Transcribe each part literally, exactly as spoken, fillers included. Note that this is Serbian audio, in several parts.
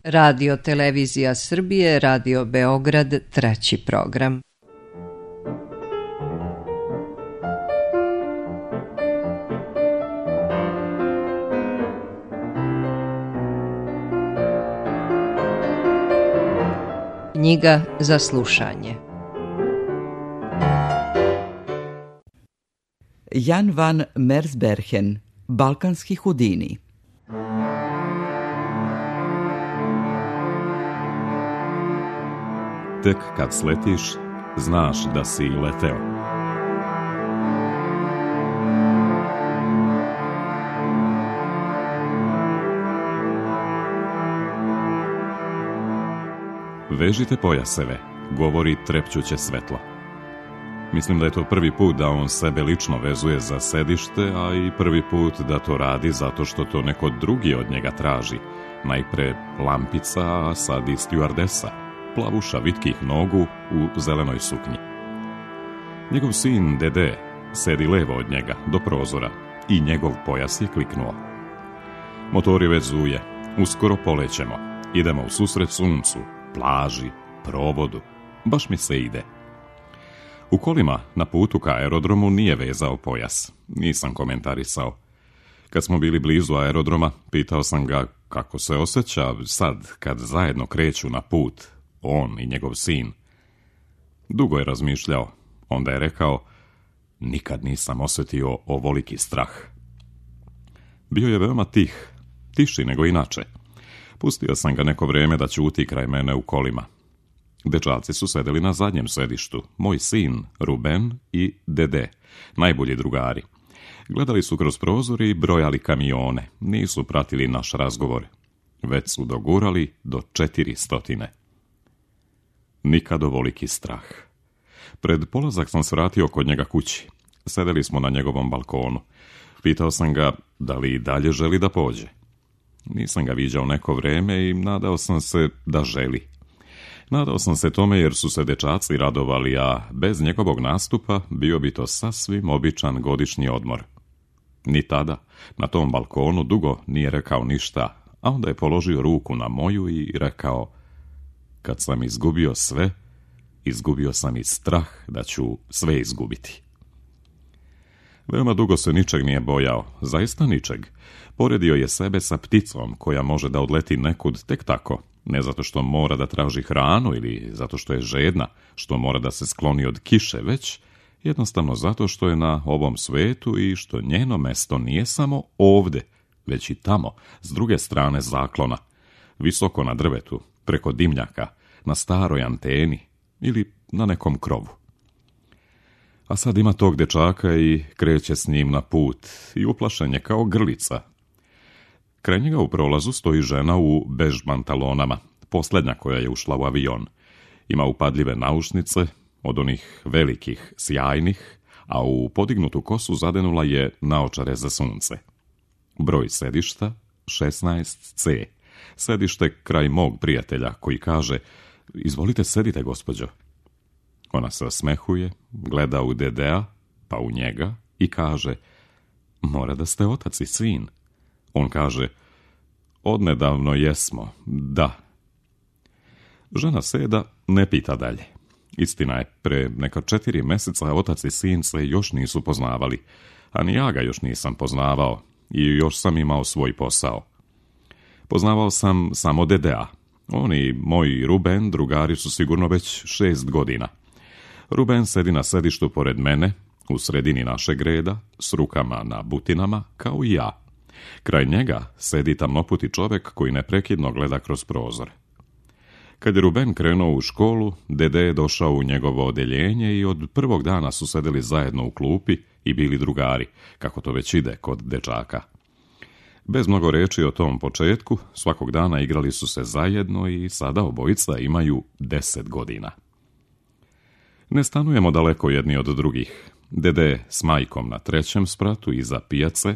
Radio Televizija Srbije, Radio Beograd, treći program. Knjiga za slušanje. Jan van Mersbergen, Balkanski Hudini. Tek kad sletiš, znaš da si leteo. Vežite pojaseve, govori trepćuće svetlo. Mislim da je to prvi put da on sebe lično vezuje za sedište, a i prvi put da to radi zato što to neko drugi od njega traži. Najpre lampica, a sad i stjuardesa, plavuša vitkih nogu u zelenoj suknji. Njegov sin Dede sedi levo od njega, do prozora, i njegov pojas je kliknuo. Motor je već zuje, uskoro polećemo, idemo u susret suncu, plaži, provodu, baš mi se ide. U kolima na putu ka aerodromu nije vezao pojas, nisam komentarisao. Kad smo bili blizu aerodroma, pitao sam ga kako se osjeća sad kad zajedno kreću na put, on i njegov sin. Dugo je razmišljao, onda je rekao, nikad nisam osjetio ovoliki strah. Bio je veoma tih, tiši nego inače. Pustio sam ga neko vrijeme da ćuti kraj mene u kolima. Dečaci su sedeli na zadnjem sedištu, moj sin, Ruben i Dede, najbolji drugari. Gledali su kroz prozor i brojali kamione, nisu pratili naš razgovor. Već su dogurali do četiri stotine. Nikad ovoliki strah. Pred polazak sam svratio kod njega kući. Sedeli smo na njegovom balkonu. Pitao sam ga da li i dalje želi da pođe. Nisam ga viđao neko vrijeme i nadao sam se da želi. Nadao sam se tome jer su se dečaci radovali, a bez njegovog nastupa bio bi to sasvim običan godišnji odmor. Ni tada, na tom balkonu, dugo nije rekao ništa, a onda je položio ruku na moju i rekao, kad sam izgubio sve, izgubio sam i strah da ću sve izgubiti. Veoma dugo se ničeg nije bojao, zaista ničeg. Poredio je sebe sa pticom koja može da odleti nekud tek tako, ne zato što mora da traži hranu ili zato što je žedna, što mora da se skloni od kiše, već jednostavno zato što je na ovom svetu i što njeno mesto nije samo ovde, već i tamo, s druge strane zaklona, visoko na drvetu, preko dimnjaka, na staroj anteni ili na nekom krovu. A sad ima tog dečaka i kreće s njim na put i uplašen je kao grlica. Kraj njega u prolazu stoji žena u bež pantalonama, posljednja koja je ušla u avion. Ima upadljive naušnice, od onih velikih, sjajnih, a u podignutu kosu zadenula je naočare za sunce. Broj sedišta šesnaest ce. Sedište kraj mog prijatelja koji kaže, izvolite sedite, gospođo. Ona se osmehuje, gleda u Dedea, pa u njega i kaže, mora da ste otac i sin. On kaže, odnedavno jesmo, da. Žena seda, ne pita dalje. Istina je, pre neka četiri meseca otac i sin se još nisu poznavali, a ni ja ga još nisam poznavao i još sam imao svoj posao. Poznavao sam samo Dedea. On i moj Ruben, drugari, su sigurno već šest godina. Ruben sedi na sedištu pored mene, u sredini našeg reda, s rukama na butinama, kao i ja. Kraj njega sedi tamnoputi čovek koji neprekidno gleda kroz prozor. Kad je Ruben krenuo u školu, Dede je došao u njegovo odeljenje i od prvog dana su sedeli zajedno u klupi i bili drugari, kako to već ide kod dečaka. Bez mnogo reči o tom početku, svakog dana igrali su se zajedno i sada obojica imaju deset godina. Ne stanujemo daleko jedni od drugih. Dede s majkom na trećem spratu iza pijace,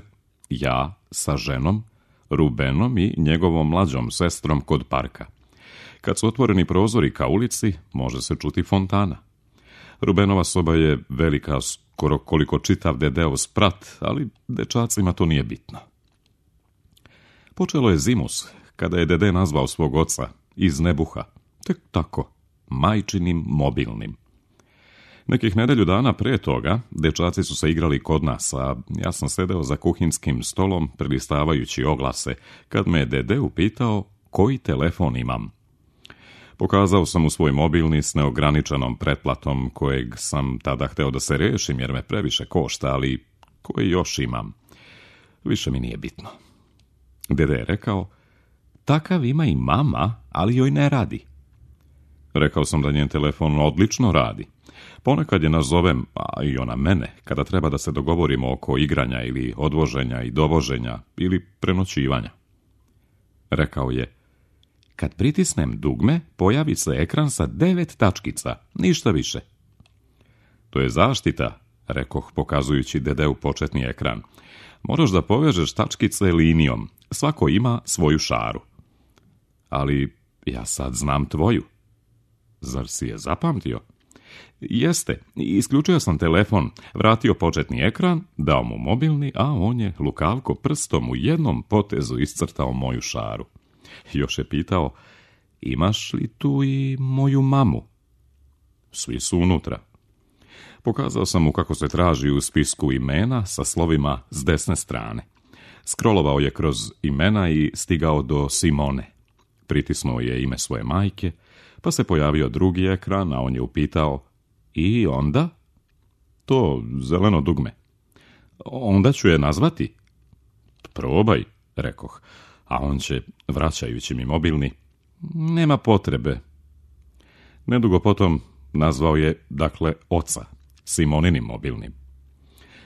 ja sa ženom, Rubenom i njegovom mlađom sestrom kod parka. Kad su otvoreni prozori ka ulici, može se čuti fontana. Rubenova soba je velika, skoro koliko čitav Dedeov sprat, ali dečacima to nije bitno. Počelo je zimus, kada je dede nazvao svog oca iz nebuha, tek tako, majčinim mobilnim. Nekih nedelju dana pre toga, dečaci su se igrali kod nas, a ja sam sedeo za kuhinskim stolom prelistavajući oglase, kad me dede upitao koji telefon imam. Pokazao sam mu svoj mobilni s neograničenom pretplatom, kojeg sam tada hteo da se rešim jer me previše košta, ali koji još imam. Više mi nije bitno. Dede je rekao, takav ima i mama, ali joj ne radi. Rekao sam da njen telefon odlično radi. Ponekad je nazovem, a i ona mene, kada treba da se dogovorimo oko igranja ili odvoženja i dovoženja ili prenoćivanja. Rekao je, kad pritisnem dugme, pojavi se ekran sa devet tačkica, ništa više. To je zaštita, rekoh pokazujući dedeu početni ekran. Moraš da povežeš tačkice linijom, svako ima svoju šaru. Ali ja sad znam tvoju. Zar si je zapamtio? Jeste, isključio sam telefon, vratio početni ekran, dao mu mobilni, a on je lukavko prstom u jednom potezu iscrtao moju šaru. Još je pitao, imaš li tu i moju mamu? Svi su unutra. Pokazao sam mu kako se traži u spisku imena sa slovima s desne strane. Skrolovao je kroz imena i stigao do Simone. Pritisnuo je ime svoje majke, pa se pojavio drugi ekran, a on je upitao, i onda? To zeleno dugme. Onda ću je nazvati. Probaj, rekoh, a on će, vraćajući mi mobilni, nema potrebe. Nedugo potom nazvao je, dakle, oca, Simoninim mobilnim.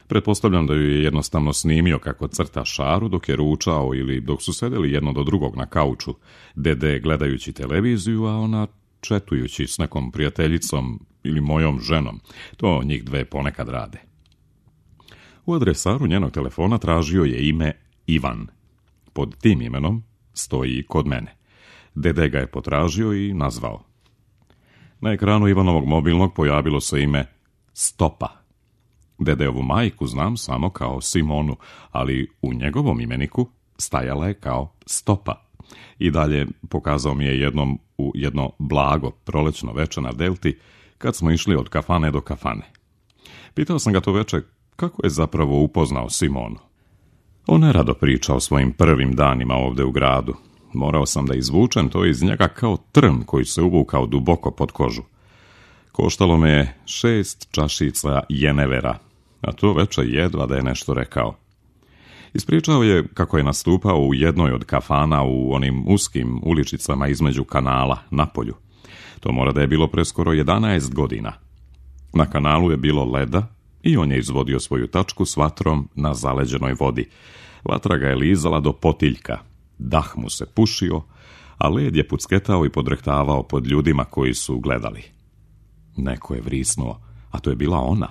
Pretpostavljam da ju je jednostavno snimio kako crta šaru dok je ručao ili dok su sedeli jedno do drugog na kauču, dede gledajući televiziju, a ona četujući s nekom prijateljicom ili mojom ženom. To njih dve ponekad rade. U adresaru njenog telefona tražio je ime Ivan. Pod tim imenom stoji kod mene. Dede ga je potražio i nazvao. Na ekranu Ivanovog mobilnog pojavilo se ime Stopa. Dedeovu majku znam samo kao Simonu, ali u njegovom imeniku stajala je kao Stopa. I dalje pokazao mi je jednom u jedno blago prolećno veče na Delti, kad smo išli od kafane do kafane. Pitao sam ga to veče kako je zapravo upoznao Simonu. On je rado pričao o svojim prvim danima ovde u gradu. Morao sam da izvučem to iz njega kao trn koji se uvukao duboko pod kožu. Koštalo me je šest čašica jenevera, a to veče jedva da je nešto rekao. Ispričao je kako je nastupao u jednoj od kafana u onim uskim uličicama između kanala na polju. To mora da je bilo preskoro jedanaest godina. Na kanalu je bilo leda i on je izvodio svoju tačku s vatrom na zaleđenoj vodi. Vatra ga je lizala do potiljka, dah mu se pušio, a led je pucketao i podrehtavao pod ljudima koji su gledali. Neko je vrisnuo, a to je bila ona,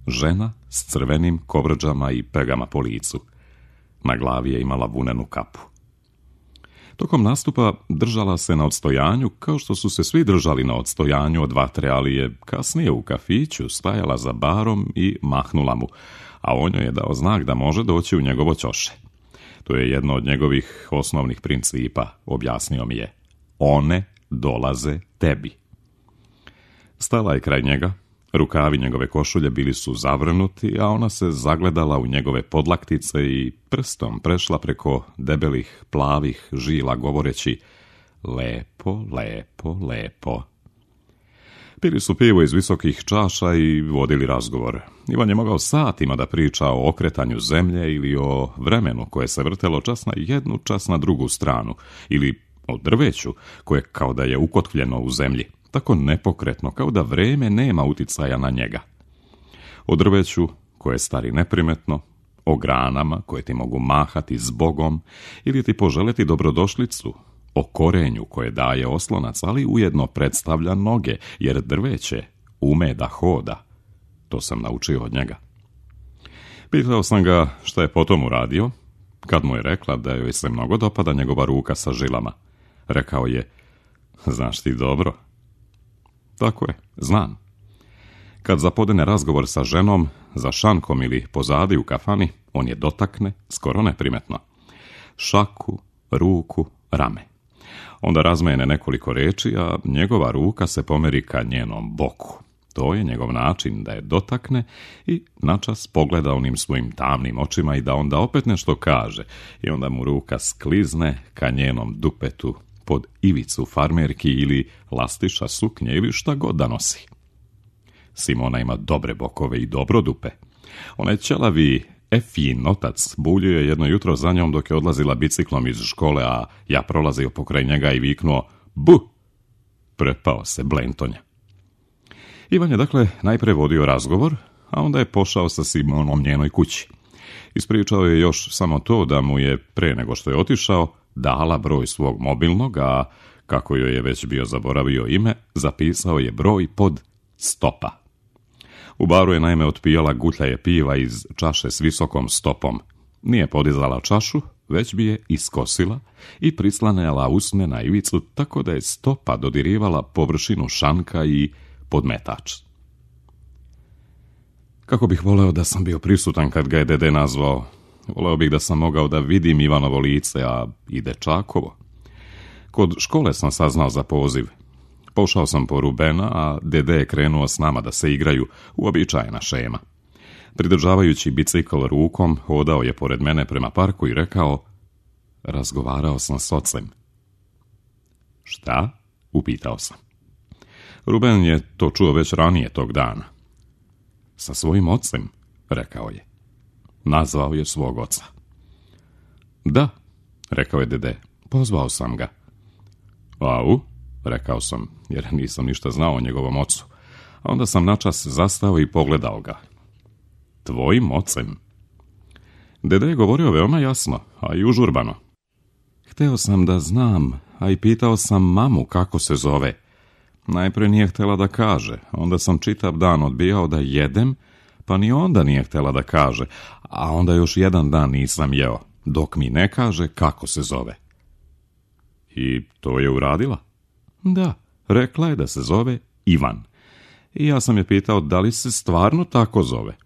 žena s crvenim kovrđama i pegama po licu. Na glavi je imala vunenu kapu. Tokom nastupa držala se na odstojanju, kao što su se svi držali na odstojanju od vatre, ali je kasnije u kafiću stajala za barom i mahnula mu, a on joj je dao znak da može doći u njegovo ćoše. To je jedno od njegovih osnovnih principa, objasnio mi je. One dolaze tebi. Stala je kraj njega, rukavi njegove košulje bili su zavrnuti, a ona se zagledala u njegove podlaktice i prstom prešla preko debelih, plavih žila, govoreći lepo, lepo, lepo. Pili su pivo iz visokih čaša i vodili razgovor. Ivan je mogao satima da priča o okretanju zemlje ili o vremenu koje se vrtelo čas na jednu, čas na drugu stranu, ili o drveću koje kao da je ukotvljeno u zemlji, tako nepokretno kao da vreme nema uticaja na njega. O drveću koje stari neprimetno, o granama koje ti mogu mahati zbogom ili ti poželeti dobrodošlicu, o korenju koje daje oslonac, ali ujedno predstavlja noge, jer drveće ume da hoda. To sam naučio od njega. Pitao sam ga šta je potom uradio, kad mu je rekla da joj se mnogo dopada njegova ruka sa žilama. Rekao je, znaš ti dobro? Tako je, znam. Kad zapodene razgovor sa ženom, za šankom ili pozadi u kafani, on je dotakne, skoro neprimetno. Šaku, ruku, rame. Onda razmene nekoliko reči, a njegova ruka se pomeri ka njenom boku. To je njegov način da je dotakne i načas pogleda onim svojim tamnim očima i da onda opet nešto kaže. I onda mu ruka sklizne ka njenom dupetu pod ivicu farmerki ili lastiša suknje ili šta god da nosi. Simona ima dobre bokove i dobro dupe. Onaj ćelavi Efijin otac buljio je jedno jutro za njom dok je odlazila biciklom iz škole, a ja prolazio pokraj njega i viknuo bu! Prepao se blentonja. Ivan je dakle najpre vodio razgovor, a onda je pošao sa Simonom njenoj kući. Ispričao je još samo to da mu je, pre nego što je otišao, dala broj svog mobilnog, a kako joj je već bio zaboravio ime, zapisao je broj pod stopa. U baru je naime otpijala gutljaje piva iz čaše s visokom stopom. Nije podizala čašu, već bi je iskosila i prislanjala usne na ivicu tako da je stopa dodirivala površinu šanka i podmetač. Kako bih voleo da sam bio prisutan kad ga je dede nazvao. Voleo bih da sam mogao da vidim Ivanovo lice, a i dečakovo. Kod škole sam saznao za poziv. Pošao sam po Rubena, a dede je krenuo s nama da se igraju, uobičajena šema. Pridržavajući bicikl rukom, hodao je pored mene prema parku i rekao: razgovarao sam s ocem. Šta? Upitao sam. Ruben je to čuo već ranije tog dana. Sa svojim ocem, rekao je. Nazvao je svog oca. Da, rekao je dede, pozvao sam ga. Au, rekao sam, jer nisam ništa znao o njegovom ocu. A onda sam načas zastao i pogledao ga. Tvojim ocem? Dede je govorio veoma jasno, a i užurbano. Hteo sam da znam, a i pitao sam mamu kako se zove. Najpre nije htjela da kaže, onda sam čitav dan odbijao da jedem, pa ni onda nije htjela da kaže, a onda još jedan dan nisam jeo, dok mi ne kaže kako se zove. I to je uradila? Da, rekla je da se zove Ivan. I ja sam je pitao da li se stvarno tako zove.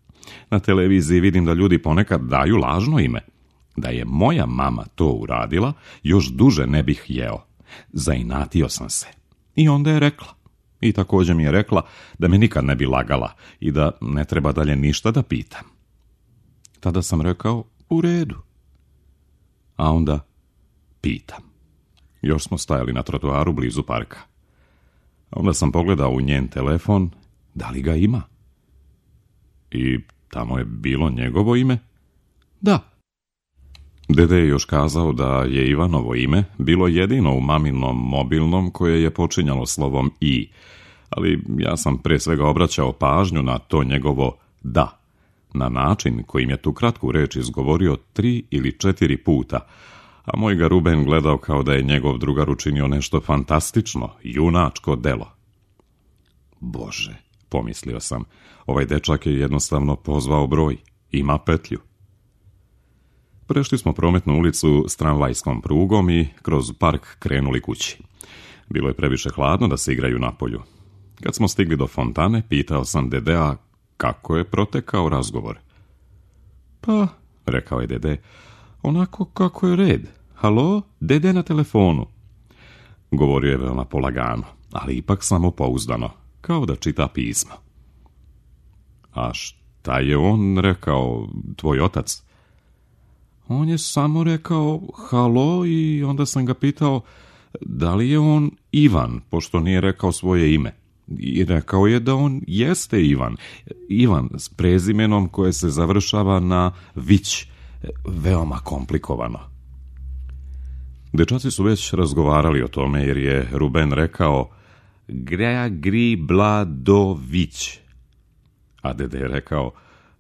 Na televiziji vidim da ljudi ponekad daju lažno ime. Da je moja mama to uradila, još duže ne bih jeo. Zainatio sam se. I onda je rekla. I također mi je rekla da me nikad ne bi lagala i da ne treba dalje ništa da pitam. Tada sam rekao, u redu. A onda pitam. Još smo stajali na trotoaru blizu parka. Onda sam pogledao u njen telefon, da li ga ima. I tamo je bilo njegovo ime? Da. Dede je još kazao da je Ivanovo ime bilo jedino u maminom mobilnom koje je počinjalo slovom i, ali ja sam pre svega obraćao pažnju na to njegovo da, na način kojim je tu kratku reč izgovorio tri ili četiri puta, a moj ga Ruben gledao kao da je njegov drugar učinio nešto fantastično, junačko delo. Bože, pomislio sam, ovaj dečak je jednostavno pozvao broj, ima petlju. Prešli smo prometnu ulicu s tramvajskom prugom i kroz park krenuli kući. Bilo je previše hladno da se igraju napolju. Kad smo stigli do fontane, pitao sam dedea kako je protekao razgovor. Pa, rekao je dede, onako kako je red. Halo, dede na telefonu. Govorio je veoma polagano, ali ipak samopouzdano, kao da čita pismo. A šta je on rekao, tvoj otac? On je samo rekao halo i onda sam ga pitao da li je on Ivan, pošto nije rekao svoje ime. I rekao je da on jeste Ivan. Ivan s prezimenom koje se završava na vić. Veoma komplikovano. Dečaci su već razgovarali o tome jer je Ruben rekao Greagri-bla-do-vić. A dede je rekao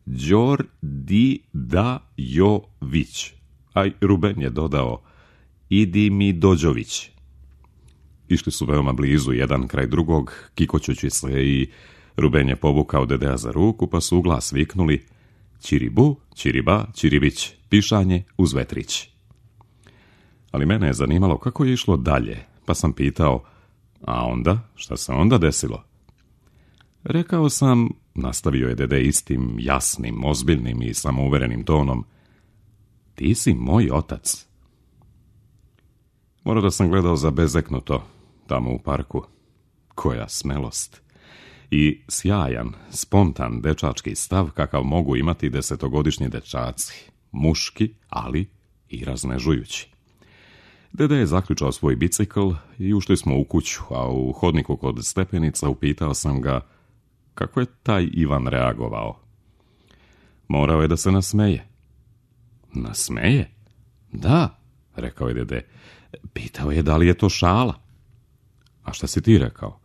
Đor-di-da-jo-vić. A Ruben je dodao Idi mi Dođović. Išli su veoma blizu jedan kraj drugog, kikoćući se, i Ruben je povukao dedea za ruku, pa su u glas viknuli Čiribu, Čiriba, Čiribić, pišanje uz vetrić. Ali mene je zanimalo kako je išlo dalje, pa sam pitao, a onda, šta se onda desilo? Rekao sam, nastavio je dede istim, jasnim, ozbiljnim i samouverenim tonom, ti si moj otac. Mora da sam gledao zabezeknuto tamo u parku. Koja smelost! I sjajan, spontan dečački stav kakav mogu imati desetogodišnji dečaci. Muški, ali i raznežujući. Dede je zaključao svoj bicikl i ušli smo u kuću, a u hodniku kod stepenica upitao sam ga kako je taj Ivan reagovao. Morao je da se nasmeje. Nasmeje? Da, rekao je dede. Pitao je da li je to šala. A šta si ti rekao?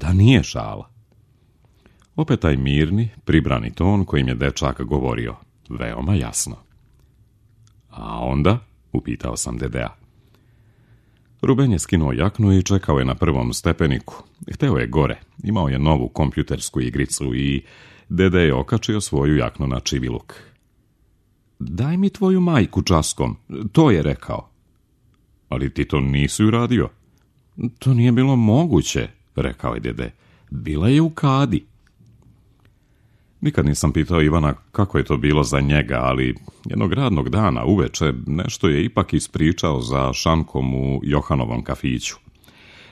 Da nije šala. Opet taj mirni, pribrani ton kojim je dečak govorio. Veoma jasno. A onda? Upitao sam dedea. Ruben je skinuo jaknu i čekao je na prvom stepeniku. Hteo je gore. Imao je novu kompjutersku igricu i dede je okačio svoju jaknu na čiviluk. Daj mi tvoju majku časkom, to je rekao. Ali ti to nisi uradio. To nije bilo moguće, rekao je dede. Bila je u kadi. Nikad nisam pitao Ivana kako je to bilo za njega, ali jednog radnog dana uveče nešto je ipak ispričao za šankom u Johanovom kafiću.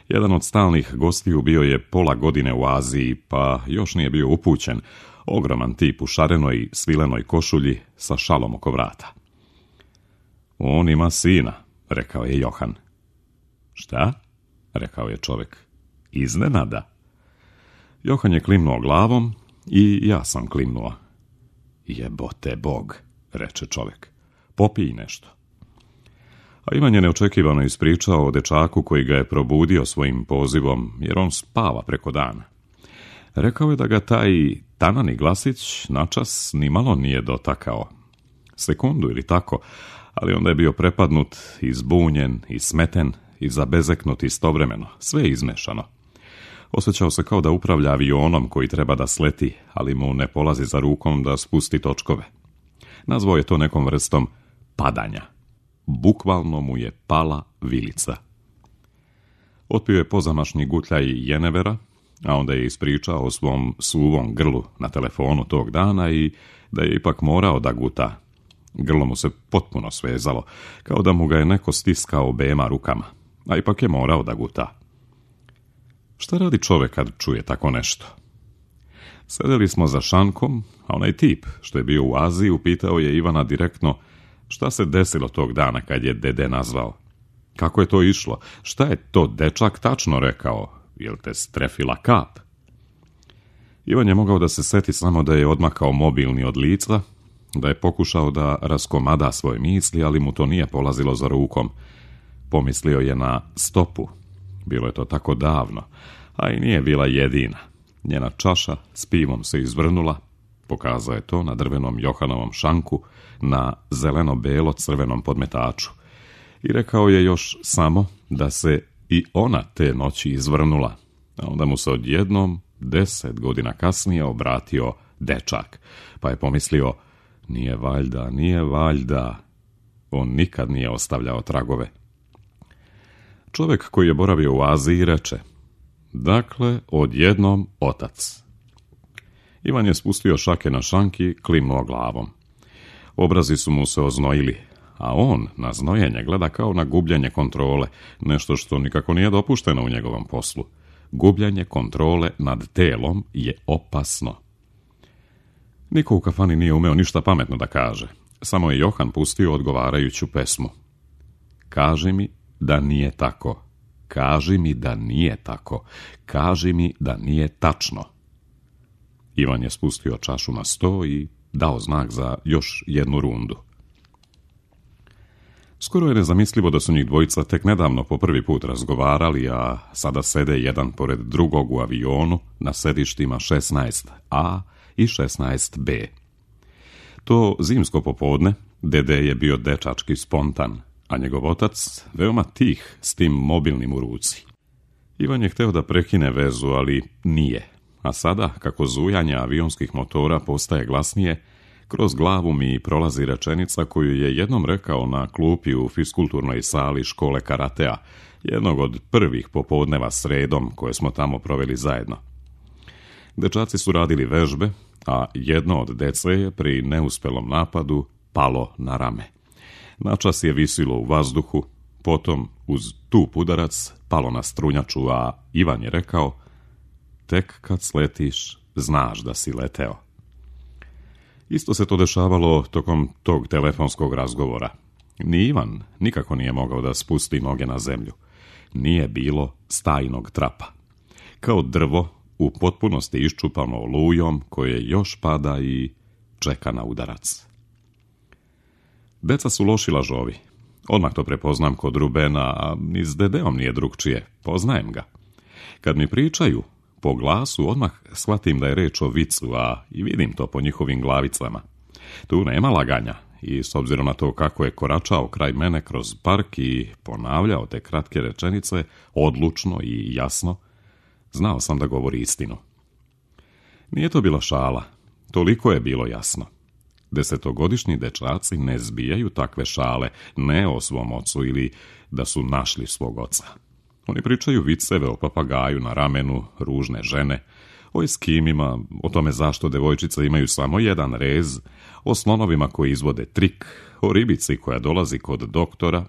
Jedan od stalnih gostiju bio je pola godine u Aziji, pa još nije bio upućen. Ogroman tip u šarenoj svilenoj košulji sa šalom oko vrata. On ima sina, rekao je Johan. Šta? Rekao je čovjek. Iznenada. Johan je klimnuo glavom i ja sam klimnuo. Jebote Bog, reče čovjek. Popij nešto. A Ivan je neočekivano ispričao o dečaku koji ga je probudio svojim pozivom, jer on spava preko dana. Rekao je da ga taj tanani glasić načas nimalo nije dotakao. Sekundu ili tako, ali onda je bio prepadnut, izbunjen i smeten i zabezeknut istovremeno, sve izmešano. Osjećao se kao da upravlja avionom koji treba da sleti, ali mu ne polazi za rukom da spusti točkove. Nazvao je to nekom vrstom padanja. Bukvalno mu je pala vilica. Otpio je pozamašni gutljaj jenevera, a onda je ispričao o svom suvom grlu na telefonu tog dana i da je ipak morao da guta. Grlo mu se potpuno svezalo, kao da mu ga je neko stiskao obema rukama, a ipak je morao da guta. Šta radi čovjek kad čuje tako nešto? Sedeli smo za šankom, a onaj tip što je bio u Aziji upitao je Ivana direktno šta se desilo tog dana kad je dede nazvao. Kako je to išlo? Šta je to dečak tačno rekao? Jel te strefila kap? Ivan je mogao da se seti samo da je odmakao mobilni od lica, da je pokušao da raskomada svoje misli, ali mu to nije polazilo za rukom. Pomislio je na stopu. Bilo je to tako davno, a i nije bila jedina. Njena čaša s pivom se izvrnula, pokazao je to na drvenom Johanovom šanku, na zeleno-belo-crvenom podmetaču. I rekao je još samo da se i ona te noći izvrnula, a onda mu se odjednom, deset godina kasnije, obratio dečak, pa je pomislio, nije valjda, nije valjda. On nikad nije ostavljao tragove. Čovjek koji je boravio u Aziji reče, dakle, odjednom otac. Ivan je spustio šake na šanki, klimnuo glavom. Obrazi su mu se oznojili, a on na znojenje gleda kao na gubljenje kontrole, nešto što nikako nije dopušteno u njegovom poslu. Gubljenje kontrole nad telom je opasno. Niko u kafani nije umeo ništa pametno da kaže, samo je Johan pustio odgovarajuću pesmu. Kaži mi da nije tako. Kaži mi da nije tako. Kaži mi da nije tačno. Ivan je spustio čašu na sto i dao znak za još jednu rundu. Skoro je nezamislivo da su njih dvojica tek nedavno po prvi put razgovarali, a sada sede jedan pored drugog u avionu na sedištima šesnaest A i šesnaest B. To zimsko popodne dede je bio dečački spontan, a njegov otac veoma tih s tim mobilnim u ruci. Ivan je hteo da prekine vezu, ali nije. A sada, kako zujanje avionskih motora postaje glasnije, kroz glavu mi prolazi rečenica koju je jednom rekao na klupi u fiskulturnoj sali škole karatea, jednog od prvih popodneva sredom koje smo tamo proveli zajedno. Dečaci su radili vežbe, a jedno od dece je pri neuspelom napadu palo na rame. Načas je visilo u vazduhu, Potom, uz tup udarac, palo na strunjaču, a Ivan je rekao: tek kad sletiš, znaš da si leteo. Isto se to dešavalo tokom tog telefonskog razgovora. Ni Ivan nikako nije mogao da spusti noge na zemlju. Nije bilo stajnog trapa. Kao drvo, u potpunosti iščupano olujom, koje još pada i čeka na udarac. Deca su loši lažovi. Odmah to prepoznam kod Rubena, a ni s Dedeom nije drugčije. Poznajem ga. Kad mi pričaju, po glasu odmah shvatim da je reč o vicu, a i vidim to po njihovim glavicama. Tu nema laganja i s obzirom na to kako je koračao kraj mene kroz park i ponavljao te kratke rečenice, odlučno i jasno, znao sam da govori istinu. Nije to bila šala, toliko je bilo jasno. Desetogodišnji dečaci ne zbijaju takve šale, ne o svom ocu ili da su našli svog oca. Oni pričaju viceve o papagaju na ramenu, ružne žene, o eskimima, o tome zašto devojčice imaju samo jedan rez, o slonovima koji izvode trik, o ribici koja dolazi kod doktora.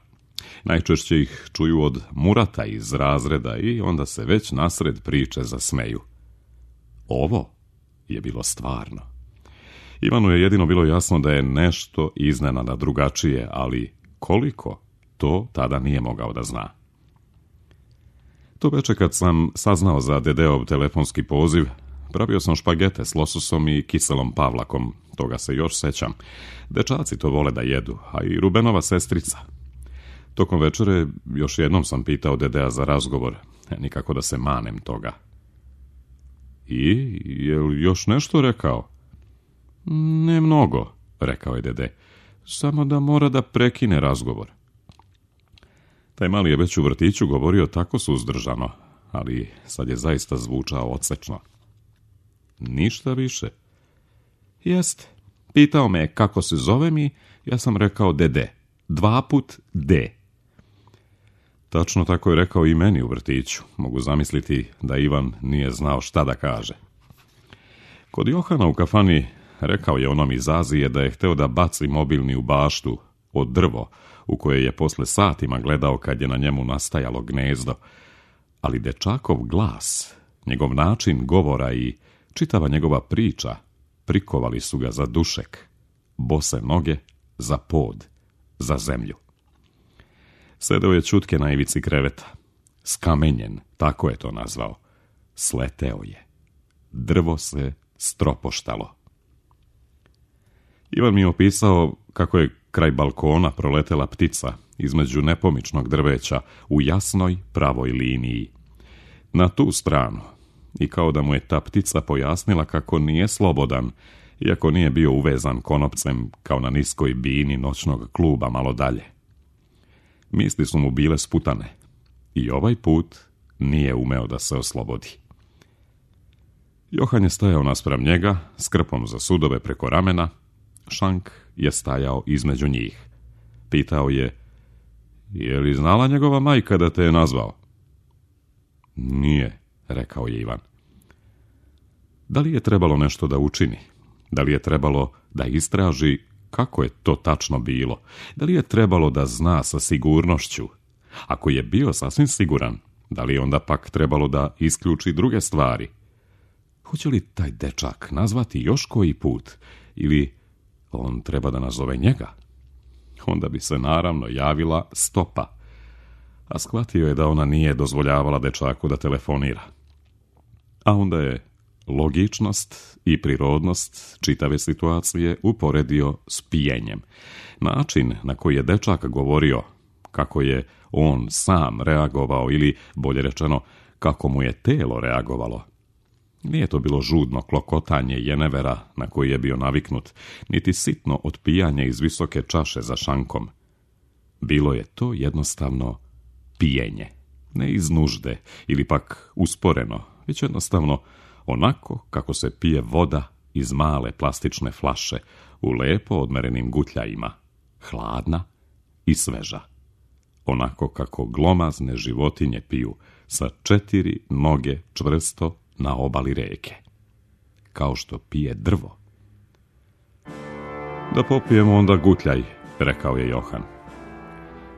Najčešće ih čuju od Murata iz razreda i onda se već nasred priče zasmeju. Ovo je bilo stvarno. Ivanu je jedino bilo jasno da je nešto iznenada drugačije, ali koliko, to tada nije mogao da zna. To veče kad sam saznao za Dedeov telefonski poziv, pravio sam špagete s lososom i kiselom pavlakom, toga se još sećam. Dečaci to vole da jedu, a i Rubenova sestrica. Tokom večere još jednom sam pitao Dedea za razgovor, nikako da se manem toga. I, je li još nešto rekao? Ne mnogo, rekao je Dede, samo da mora da prekine razgovor. Taj mali je već u vrtiću govorio tako suzdržano, ali sad je zaista zvučao odsečno. Ništa više. Jest, pitao me kako se zovem i ja sam rekao Dede, dva put D. Tačno tako je rekao i meni u vrtiću. Mogu zamisliti da Ivan nije znao šta da kaže. Kod Johana u kafani rekao je onom iz Azije da je hteo da baci mobilni u baštu od drvo, u koje je posle satima gledao kad je na njemu nastajalo gnezdo, ali dečakov glas, njegov način govora i čitava njegova priča prikovali su ga za dušek, bose noge za pod, za zemlju. Sedeo je ćutke na ivici kreveta, skamenjen, tako je to nazvao. Sleteo je. Drvo se stropoštalo. Ivan mi je opisao kako je kraj balkona proletela ptica između nepomičnog drveća u jasnoj pravoj liniji. Na tu stranu, i kao da mu je ta ptica pojasnila kako nije slobodan, iako nije bio uvezan konopcem kao na niskoj bini noćnog kluba malo dalje. Misli su mu bile sputane i ovaj put nije umeo da se oslobodi. Johan je stajao naspram njega, s krpom za sudove preko ramena. Šank je stajao između njih. Pitao je, je li znala njegova majka da te je nazvao? Nije, rekao je Ivan. Da li je trebalo nešto da učini? Da li je trebalo da istraži kako je to tačno bilo? Da li je trebalo da zna sa sigurnošću? Ako je bio sasvim siguran, da li je onda pak trebalo da isključi druge stvari? Hoće li taj dečak nazvati još koji put? Ili on treba da nazove njega? Onda bi se naravno javila Stopa. A shvatio je da ona nije dozvoljavala dečaku da telefonira. A onda je logičnost i prirodnost čitave situacije uporedio s pijenjem. Način na koji je dečak govorio, kako je on sam reagovao ili, bolje rečeno, kako mu je telo reagovalo. Nije to bilo žudno klokotanje jenevera na koji je bio naviknut, niti sitno otpijanje iz visoke čaše za šankom. Bilo je to jednostavno pijenje, ne iz nužde ili pak usporeno, već jednostavno onako kako se pije voda iz male plastične flaše u lepo odmerenim gutljajima, hladna i sveža. Onako kako glomazne životinje piju sa četiri noge čvrsto na obali reke. Kao što pije drvo. Da popijemo onda gutljaj, rekao je Johan.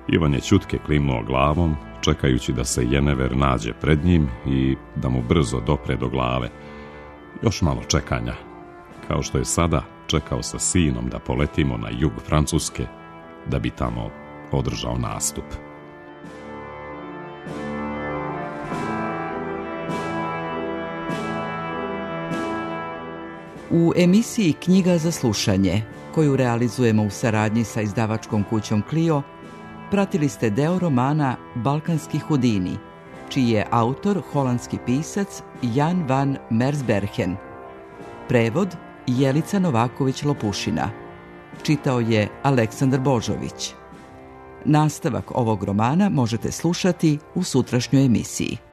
Ivan je ćutke klimnuo glavom, čekajući da se jenever nađe pred njim i da mu brzo dopre do glave. Još malo čekanja, kao što je sada čekao sa sinom da poletimo na jug Francuske, da bi tamo održao nastup. U emisiji Knjiga za slušanje, koju realizujemo u saradnji sa izdavačkom kućom Clio, pratili ste deo romana Balkanski Hudini, čiji je autor holandski pisac Jan van Mersbergen. Prevod Jelica Novaković-Lopušina. Čitao je Aleksandar Božović. Nastavak ovog romana možete slušati u sutrašnjoj emisiji.